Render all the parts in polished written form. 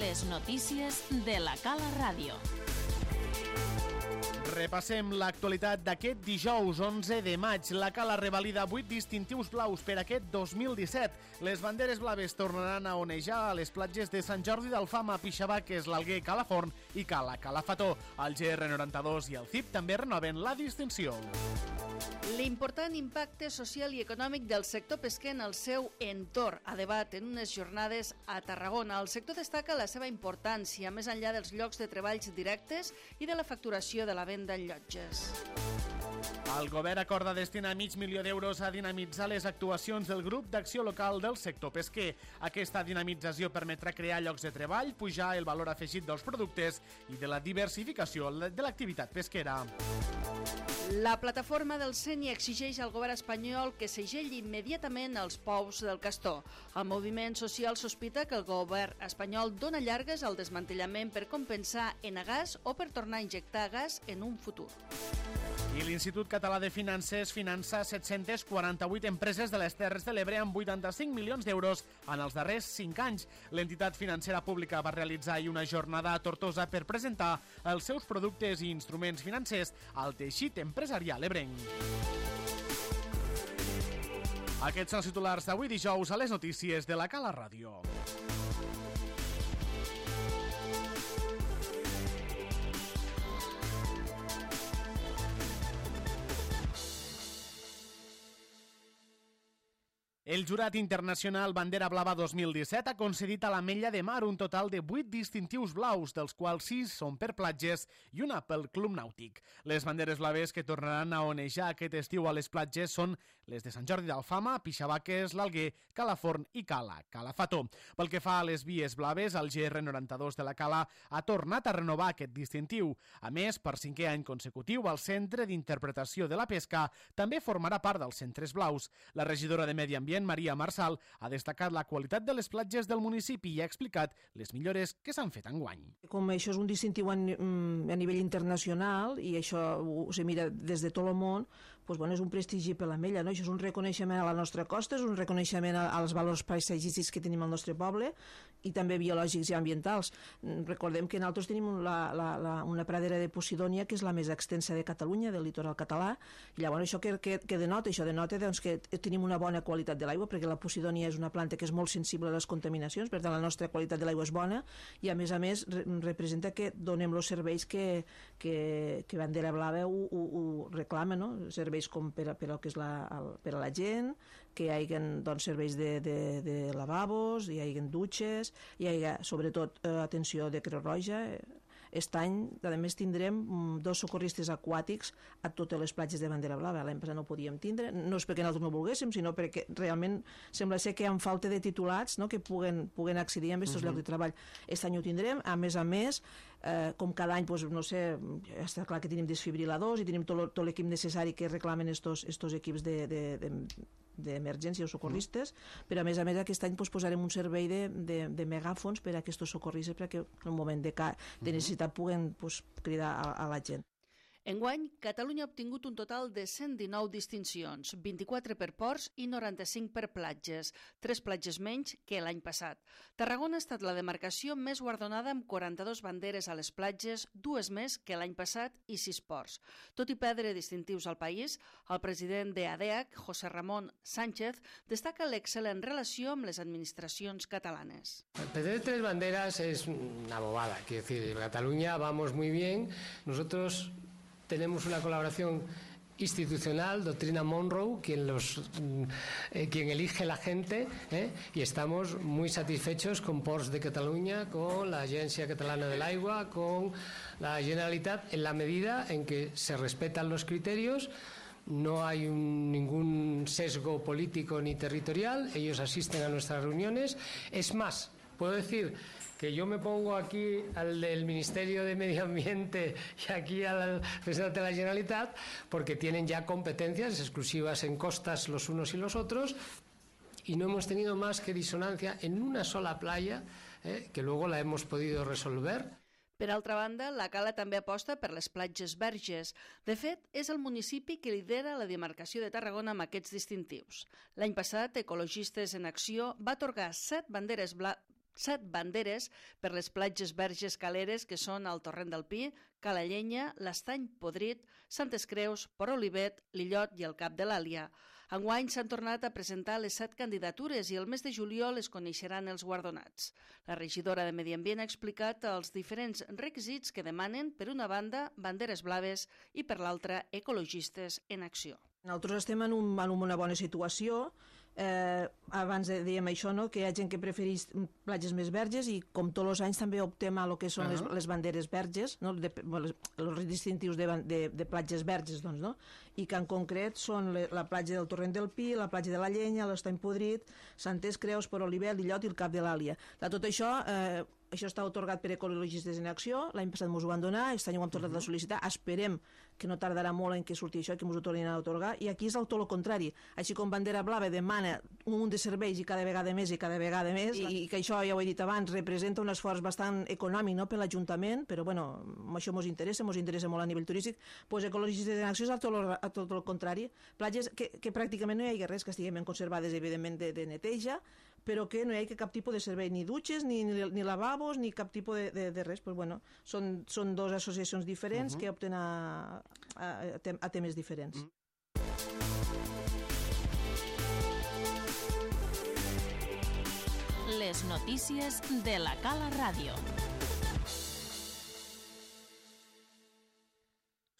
Les notícies de la Cala Ràdio. Repassem l'actualitat d'aquest dijous 11 de maig. La Cala revalida 8 distintius blaus per aquest 2017. Les banderes blaves tornaran a onejar a les platges de Sant Jordi d'Alfama, Pixabaques, l'Alguer, Calaforn i Cala Calafató. El GR92 i el CIP també renoven la distinció. L'important impacte social i econòmic del sector pesquer en el seu entorn a debat en unes jornades a Tarragona. El sector destaca la seva importància, més enllà dels llocs de treballs directes i de la facturació de la venda en llotges. El govern acorda destinar $500.000 a dinamitzar les actuacions del grup d'acció local del sector pesquer. Aquesta dinamització permetrà crear llocs de treball, pujar el valor afegit dels productes i de la diversificació de l'activitat pesquera. La plataforma del CENI exigeix al govern espanyol que segelli immediatament els pous del Castor. El moviment social sospita que el govern espanyol dona llargues al desmantellament per compensar Enagas o per tornar a injectar gas en un futur. I l'Institut Català de Finances finança 748 empreses de les Terres de l'Ebre amb 85 milions d'euros en els darrers 5 anys. L'entitat financera pública va realitzar ahir una jornada a Tortosa per presentar els seus productes i instruments financers al teixit empresarial ebrenc. Aquests són els titulars d'avui dijous a les notícies de la Cala Ràdio. El Jurat Internacional Bandera Blava 2017 ha concedit a l'Ametlla de Mar un total de 8 distintius blaus, dels quals 6 són per platges i una pel Club Nàutic. Les banderes blaves que tornaran a onejar aquest estiu a les platges són les de Sant Jordi d'Alfama, Pixabaques, l'Alguer, Calaforn i Cala Calafató. Pel que fa a les vies blaves, el GR92 de la Cala ha tornat a renovar aquest distintiu. A més, per 5è any consecutiu, el Centre d'Interpretació de la Pesca també formarà part dels centres blaus. La regidora de Medi Ambient, Maria Marsal, ha destacat la qualitat de les platges del municipi i ha explicat les millores que s'han fet enguany. Com això és un distintiu a nivell internacional i això se mira des de tot el món, doncs, bueno, és un prestigi per l'Ametlla, no? Això és un reconeixement a la nostra costa, és un reconeixement als valors paisatgístics que tenim al nostre poble i també biològics i ambientals. Recordem que nosaltres tenim una pradera de Posidònia que és la més extensa de Catalunya, del litoral català, i llavors això que denota? Això denota doncs, que tenim una bona qualitat de l'aigua, perquè la Posidònia és una planta que és molt sensible a les contaminacions, per tant la nostra qualitat de l'aigua és bona i a més representa que donem els serveis que Bandera Blava ho reclama, no? Serveis com per a que és per a la gent, que hi hagi doncs, serveis de lavabos, hi hagi dutxes, hi hagi sobretot atenció de Creu Roja. Aquest any, a més, tindrem 2 socorristes aquàtics a totes les platges de Bandera Blava. L'any passat no ho podíem tindre, no és perquè nosaltres no volguéssim, sinó perquè realment sembla ser que hi ha falta de titulats, no?, que puguen accedir a aquests llocs de treball. Aquest any ho tindrem, a més, com cada any, doncs, no sé, està clar que tenim desfibriladors i tenim tot l'equip necessari que reclamen estos equips d'emergència o socorristes, però a més aquest any posarem un servei de megàfons per a aquests socorristes perquè en un moment de necessitat puguen cridar a la gent. Enguany, Catalunya ha obtingut un total de 119 distincions, 24 per ports i 95 per platges, 3 platges menys que l'any passat. Tarragona ha estat la demarcació més guardonada amb 42 banderes a les platges, 2 més que l'any passat i 6 ports. Tot i perdre distintius al país, el president de ADEAC, José Ramón Sánchez, destaca l'excel·lent relació amb les administracions catalanes. Perder 3 banderas es una bobada, quiero decir, en Cataluña vamos muy bien, nosotros tenemos una colaboración institucional, doctrina Monroe, quien elige la gente, y estamos muy satisfechos con Ports de Cataluña, con la Agencia Catalana del Agua, con la Generalitat, en la medida en que se respetan los criterios. No hay ningún sesgo político ni territorial, ellos asisten a nuestras reuniones. Es más, puedo decir que yo me pongo aquí al del Ministerio de Medio Ambiente y aquí al presidente de la Generalitat porque tienen ya competencias exclusivas en costas los unos y los otros y no hemos tenido más que disonancia en una sola playa, que luego la hemos podido resolver. Per altra banda, la Cala també aposta per les platges verges. De fet, és el municipi que lidera la demarcació de Tarragona amb aquests distintius. L'any passat, Ecologistes en Acció va atorgar 7 7 banderes per les platges verges caleres que són el Torrent del Pi, Cala Llenya, l'Estany Podrit, Santes Creus, Port Olivet, l'Illot i el Cap de l'Àlia. Enguany s'han tornat a presentar les 7 candidatures i el mes de juliol es coneixeran els guardonats. La regidora de Medi Ambient ha explicat els diferents requisits que demanen, per una banda, banderes blaves i per l'altra, ecologistes en acció. Nosaltres estem en una bona situació. Abans dèiem això, no? Que hi ha gent que prefereix platges més verges i com tots els anys també optem a lo que són les banderes verges, no? Els distintius de platges verges, doncs, no? I que en concret són la platja del Torrent del Pi, la platja de la Llenya, l'Estany Podrit, Santes Creus, Port Olivet, l'Illot i el Cap de l'Àlia. De tot això, això està atorgat per Ecologistes en Acció, l'any passat ens ho van donar, aquest any ho hem tornat a sol·licitar, esperem que no tardarà molt en que surti això i que ens ho tornin a atorgar, i aquí és tot el contrari. Així com Bandera Blava demana un munt de serveis i cada vegada més, i que això, ja ho he dit abans, representa un esforç bastant econòmic, no?, per l'Ajuntament, però bueno, això ens interessa molt a nivell turístic, doncs Ecologistes en Acció és tot el contrari. Platges que pràcticament no hi ha res, que estiguin ben conservades, evidentment, de neteja, però que no hi ha cap tipus de servei, ni dutxes, ni lavabos, ni cap tipus de res. Pues bueno, són 2 associacions diferents que opten a temes diferents. Les notícies de la Cala Ràdio.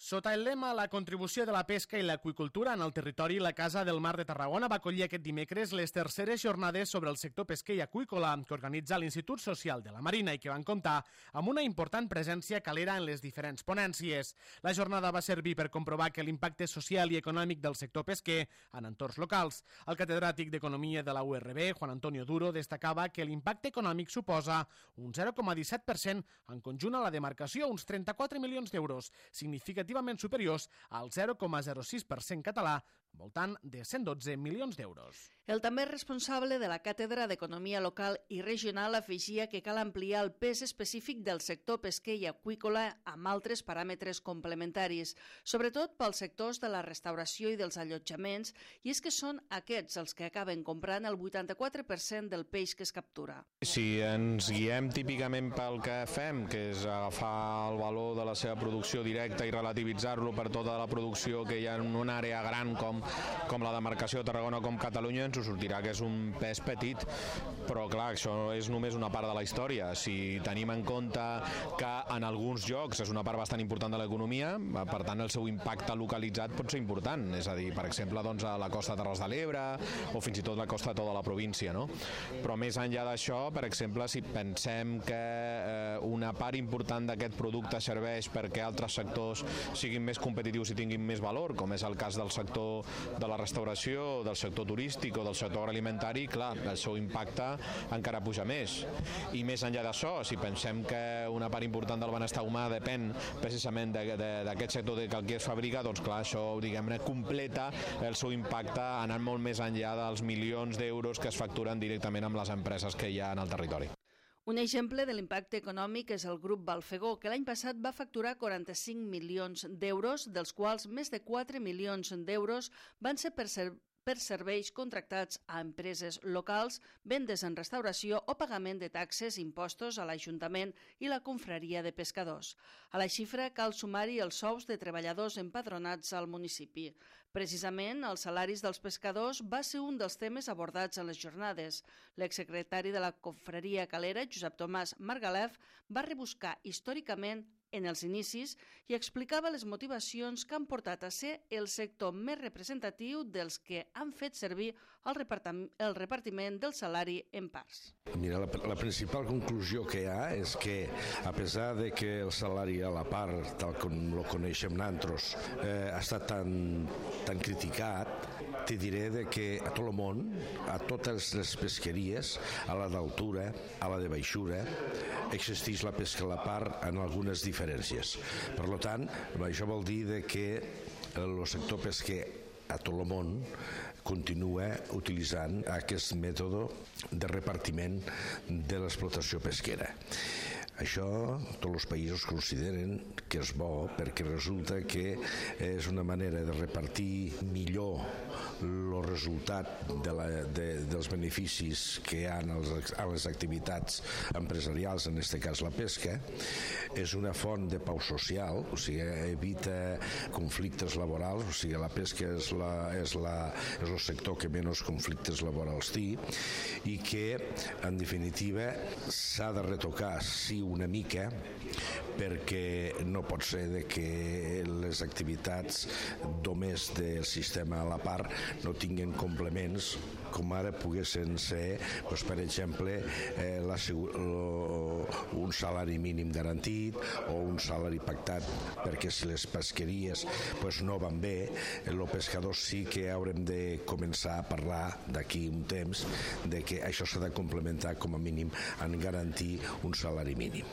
Sota el lema La contribució de la pesca i l'aqüicultura en el territori, la Casa del Mar de Tarragona va acollir aquest dimecres les terceres jornades sobre el sector pesquer i aqüícola que organitza l'Institut Social de la Marina i que van comptar amb una important presència calera en les diferents ponències. La jornada va servir per comprovar que l'impacte social i econòmic del sector pesquer en entorns locals. El catedràtic d'Economia de la URB, Juan Antonio Duro, destacava que l'impacte econòmic suposa un 0,17% en conjunt a la demarcació, uns 34 milions d'euros, significativament superiors al 0,06% català, voltant de 112 milions d'euros. El també responsable de la Càtedra d'Economia Local i Regional afegia que cal ampliar el pes específic del sector pesquer i aqüícola amb altres paràmetres complementaris, sobretot pels sectors de la restauració i dels allotjaments, i és que són aquests els que acaben comprant el 84% del peix que es captura. Si ens guiem típicament pel que fem, que és agafar el valor de la seva producció directa i relativitzar-lo per tota la producció que hi ha en una àrea gran com la demarcació de Tarragona com Catalunya, ens ho sortirà que és un pes petit, però clar, això és només una part de la història. Si tenim en compte que en alguns llocs és una part bastant important de l'economia, per tant el seu impacte localitzat pot ser important, és a dir, per exemple, doncs, a la costa de Terres de l'Ebre o fins i tot la costa de tota la província, no? Però més enllà d'això, per exemple, si pensem que una part important d'aquest producte serveix perquè altres sectors siguin més competitius i tinguin més valor, com és el cas del sector de la restauració, del sector turístic o del sector agroalimentari, clar, el seu impacte encara puja més. I més enllà d'això, si pensem que una part important del benestar humà depèn precisament d'aquest sector que aquí es fabrica, doncs clar, això, diguem-ne, completa el seu impacte anant molt més enllà dels milions d'euros que es facturen directament amb les empreses que hi ha en el territori. Un exemple de l'impacte econòmic és el grup Balfegó, que l'any passat va facturar 45 milions d'euros, dels quals més de 4 milions d'euros van ser per serveis contractats a empreses locals, vendes en restauració o pagament de taxes, impostos a l'Ajuntament i la Confraria de Pescadors. A la xifra cal sumar-hi els sous de treballadors empadronats al municipi. Precisament, els salaris dels pescadors va ser un dels temes abordats en les jornades. L'exsecretari de la Confraria Calera, Josep Tomàs Margalef, va rebuscar històricament en els inicis i explicava les motivacions que han portat a ser el sector més representatiu dels que han fet servir el repartiment del salari en parts. Mira, la principal conclusió que hi ha és que, a pesar de que el salari a la part, tal com lo coneixem nosaltres, ha estat tan criticat, te diré de que a tot el món, a totes les pesqueries, a la d'altura, a la de baixura, existeix la pesca a la part en algunes diferències. Per tant, això vol dir de que el sector pesquer a tot el món continua utilitzant aquest mètode de repartiment de l'explotació pesquera. Això tots els països consideren que és bo perquè resulta que és una manera de repartir millor el resultat dels beneficis que hi ha a les activitats empresarials, en aquest cas la pesca. És una font de pau social, o sigui, evita conflictes laborals, o sigui, la pesca és el sector que menys conflictes laborals té i que, en definitiva, s'ha de retocar, sí, una mica, perquè no pot ser de que les activitats només del sistema a la part no tinguin complements com ara poguessin ser, doncs, per exemple, un salari mínim garantit o un salari pactat, perquè si les pesqueries doncs, no van bé, els pescadors sí que haurem de començar a parlar d'aquí un temps de que això s'ha de complementar com a mínim en garantir un salari mínim.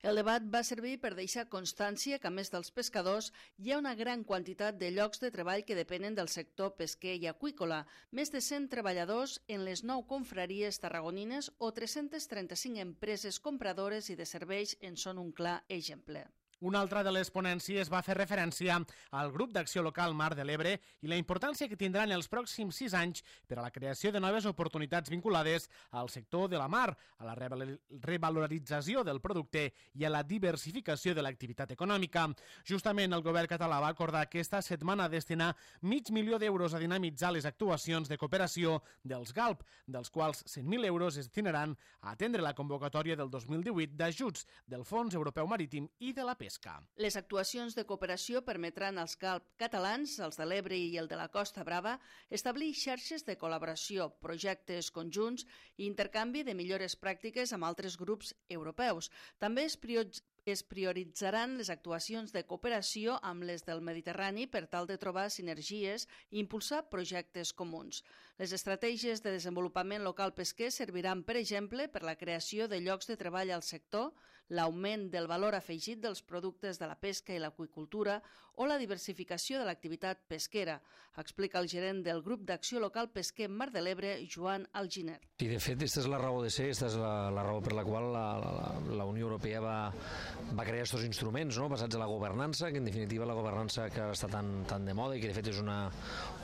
El debat va servir per deixar constància que, a més dels pescadors, hi ha una gran quantitat de llocs de treball que depenen del sector pesquer i aqüícola, més de 100 treballadors en les 9 confraries tarragonines o 335 empreses compradores i de serveis en són un clar exemple. Una altra de les ponències va fer referència al Grup d'Acció Local Mar de l'Ebre i la importància que tindran els pròxims 6 anys per a la creació de noves oportunitats vinculades al sector de la mar, a la revalorització del producte i a la diversificació de l'activitat econòmica. Justament el govern català va acordar aquesta setmana destinar 500.000 d'euros a dinamitzar les actuacions de cooperació dels GALP, dels quals 100.000 euros es destinaran a atendre la convocatòria del 2018 d'ajuts del Fons Europeu Marítim i de la Pesca. Les actuacions de cooperació permetran als GALP catalans, els de l'Ebre i el de la Costa Brava, establir xarxes de col·laboració, projectes conjunts i intercanvi de millores pràctiques amb altres grups europeus. També es prioritzaran les actuacions de cooperació amb les del Mediterrani per tal de trobar sinergies i impulsar projectes comuns. Les estratègies de desenvolupament local pesquer serviran, per exemple, per la creació de llocs de treball al sector, l'augment del valor afegit dels productes de la pesca i l'aqüicultura o la diversificació de l'activitat pesquera, explica el gerent del Grup d'Acció Local Pesquer Mar de l'Ebre, Joan Alginer. I de fet, aquesta és la raó de ser, aquesta és la raó per la qual la Unió Europea va crear aquests instruments, no? Basats en la governança, que en definitiva la governança que ara està tan de moda i que de fet és una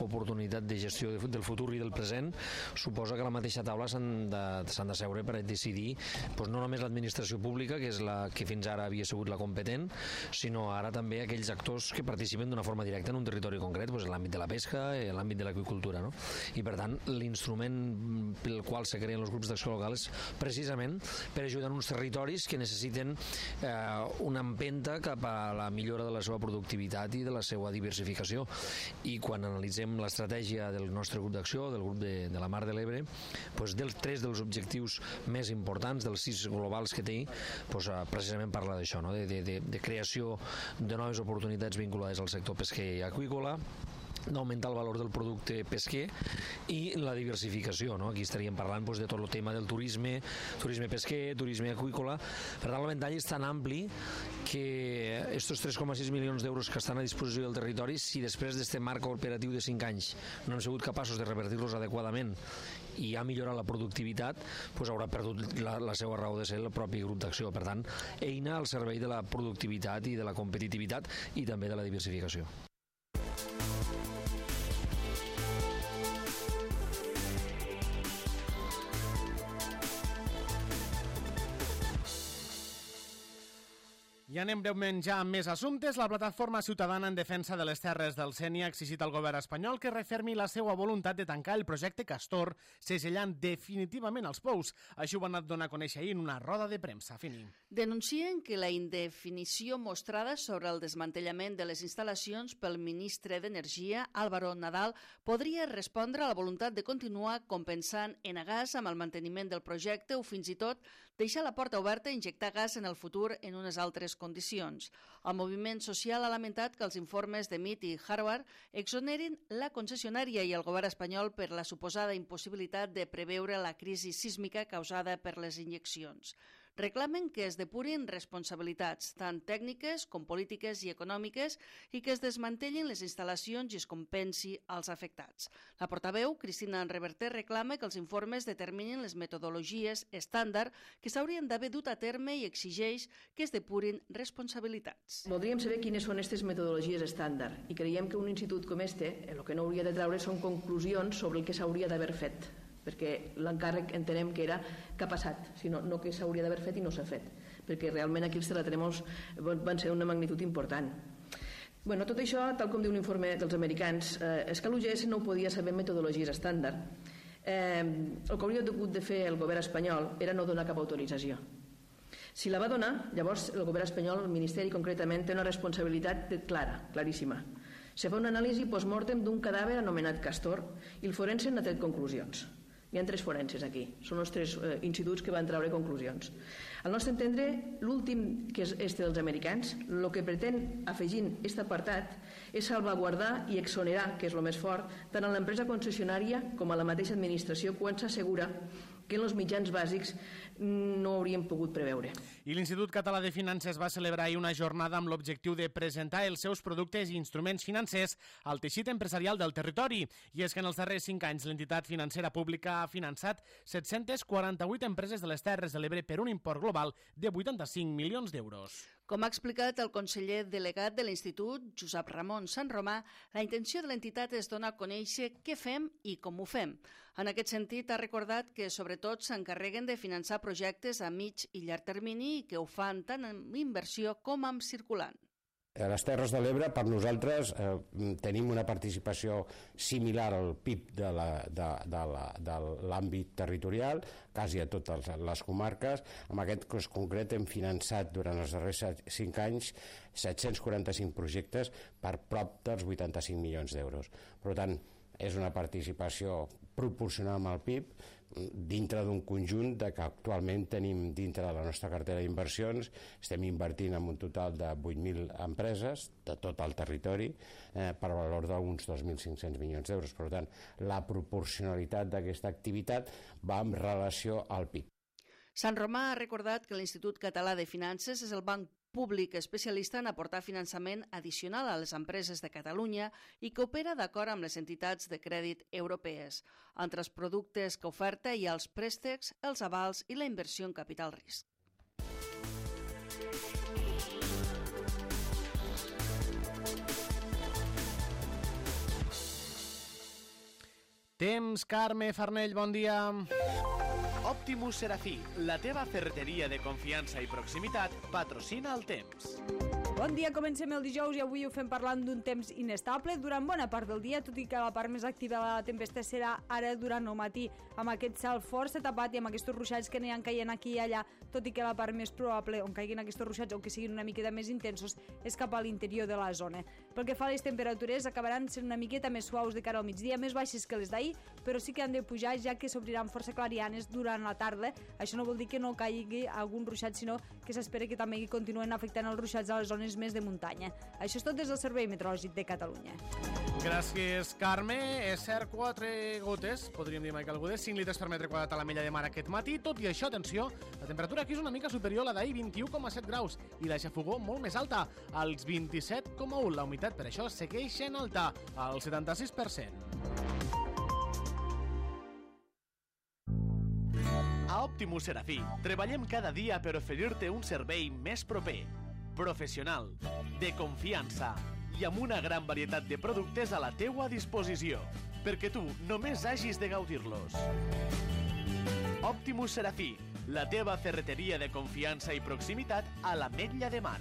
oportunitat de gestió del futur i del present, suposa que a la mateixa taula s'han de seure per decidir no només l'administració pública, que és la que fins ara havia sigut la competent, sinó ara també aquells actors que participen d'una forma directa en un territori concret, en l'àmbit de la pesca i en l'àmbit de l'aqüicultura. No? I per tant, l'instrument pel qual se creen els grups d'acció local és precisament per ajudar uns territoris que necessiten una empenta cap a la millora de la seva productivitat i de la seva diversificació. I quan analitzem l'estratègia del nostre grup d'acció, del grup de la Mar de l'Ebre, tres dels objectius més importants, dels 6 globals que té, precisament parla d'això, no? de creació de noves oportunitats vinculades al sector pesquer i aqüícola, d'augmentar el valor del producte pesquer i la diversificació, no? Aquí estaríem parlant de tot el tema del turisme pesquer, turisme aqüícola. Per tant, el ventall és tan ampli que aquests 3,6 milions d'euros que estan a disposició del territori, si després d'este marc operatiu de 5 anys no hem sigut capaços de revertir-los adequadament i ha millorat la productivitat, haurà perdut la seva raó de ser el propi grup d'acció. Per tant, eina al servei de la productivitat i de la competitivitat i també de la diversificació. I anem breument ja amb més assumptes. La plataforma ciutadana en defensa de les terres del Sénia ha exigit al govern espanyol que refermi la seva voluntat de tancar el projecte Castor, segellant definitivament els pous. Així ho van donar a conèixer ahir en una roda de premsa. Fini. Denuncien que la indefinició mostrada sobre el desmantellament de les instal·lacions pel ministre d'Energia, Álvaro Nadal, podria respondre a la voluntat de continuar compensant Enagás amb el manteniment del projecte o fins i tot deixar la porta oberta a injectar gas en el futur en unes altres condicions. El moviment social ha lamentat que els informes de MIT i Harvard exonerin la concessionària i el govern espanyol per la suposada impossibilitat de preveure la crisi sísmica causada per les injeccions. Reclamen que es depurin responsabilitats, tant tècniques com polítiques i econòmiques, i que es desmantellin les instal·lacions i es compensi als afectats. La portaveu, Cristina Reverter, reclama que els informes determinin les metodologies estàndard que s'haurien d'haver dut a terme i exigeix que es depurin responsabilitats. Voldríem saber quines són aquestes metodologies estàndard i creiem que un institut com este el que no hauria de treure són conclusions sobre el que s'hauria d'haver fet, perquè l'encàrrec entenem que era que ha passat, sinó no que s'hauria d'haver fet i no s'ha fet, perquè realment aquí els terratrèmols van ser una magnitud important. Tot això, tal com diu l'informe dels americans, és que l'UGS no ho podia saber metodologies estàndard. El que hauria hagut de fer el govern espanyol era no donar cap autorització. Si la va donar, llavors el govern espanyol, el Ministeri concretament, té una responsabilitat clara, claríssima. Se fa una anàlisi post-mortem d'un cadàver anomenat Castor i el forense n'ha tret conclusions. Hi ha 3 forenses aquí, són els 3 instituts que van treure conclusions. Al nostre entendre, l'últim, que és este dels americans, el que pretén, afegint aquest apartat, és salvaguardar i exonerar, que és el més fort, tant a l'empresa concessionària com a la mateixa administració quan s'assegura que en els mitjans bàsics no hauríem pogut preveure. I l'Institut Català de Finances va celebrar ahir una jornada amb l'objectiu de presentar els seus productes i instruments financers al teixit empresarial del territori. I és que en els darrers 5 anys l'entitat financera pública ha finançat 748 empreses de les Terres de l'Ebre per un import global de 85 milions d'euros. Com ha explicat el conseller delegat de l'Institut, Josep Ramon Sanromà, la intenció de l'entitat és donar a conèixer què fem i com ho fem. En aquest sentit, ha recordat que sobretot s'encarreguen de finançar projectes a mig i llarg termini i que ho fan tant amb inversió com amb circulant. A les Terres de l'Ebre, per nosaltres, tenim una participació similar al PIB de l'àmbit territorial, quasi a totes les comarques. En aquest cas concret hem finançat durant els darrers 5 anys 745 projectes per prop dels 85 milions d'euros. Per tant, és una participació proporcional amb el PIB dintre d'un conjunt que actualment tenim dintre de la nostra cartera d'inversions. Estem invertint en un total de 8.000 empreses de tot el territori per valor d'uns 2.500 milions d'euros. Per tant, la proporcionalitat d'aquesta activitat va en relació al PIB. Sanromà ha recordat que l'Institut Català de Finances és el banc públic especialista en aportar finançament addicional a les empreses de Catalunya i que opera d'acord amb les entitats de crèdit europees. Entre els productes que oferta hi ha els préstecs, els avals i la inversió en capital risc. Temps, Carme Farnell, bon dia. Optimus Serafí, la teva ferreteria de confiança i proximitat, patrocina el temps. Bon dia, comencem el dijous i avui ho fem parlant d'un temps inestable durant bona part del dia, tot i que la part més activa de la tempesta serà ara durant el matí, amb aquest cel força tapat i amb aquests ruixats que aniran caient aquí i allà, tot i que la part més probable on caiguin aquests ruixats o que siguin una miqueta més intensos és cap a l'interior de la zona. Pel que fa a les temperatures, acabaran sent una miqueta més suaus de cara al migdia, més baixes que les d'ahir, però sí que han de pujar ja que s'obriran força clarianes durant la tarda. Això no vol dir que no caigui algun ruixat, sinó que s'espera que també continuen afectant els ruixats a les zones més de muntanya. Això és tot des del Servei Meteorològic de Catalunya. Gràcies, Carme. És cert, 4 gotes, podríem dir, Michael Gudes, 5 litres per metre quadrat a la Mella de Mar aquest matí. Tot i això, atenció, la temperatura aquí és una mica superior a la d'ahir, 21,7 graus, i la xafogó molt més alta, als 27,1. La humitat, per això, segueix sent alta, al 76%. A Optimus Serafí treballem cada dia per oferir-te un servei més proper, professional, de confiança i amb una gran varietat de productes a la teua disposició, perquè tu només hagis de gaudir-los. Optimus Serafí, la teva ferreteria de confiança i proximitat a l'Ametlla de Mar.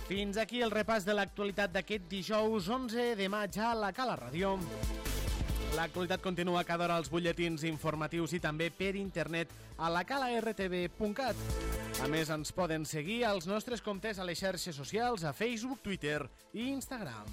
Fins aquí el repàs de l'actualitat d'aquest dijous 11 de maig a la Cala Ràdio. L'actualitat continua cada hora als butlletins informatius i també per internet a lacalartv.cat. A més, ens poden seguir als nostres comptes a les xarxes socials, a Facebook, Twitter i Instagram.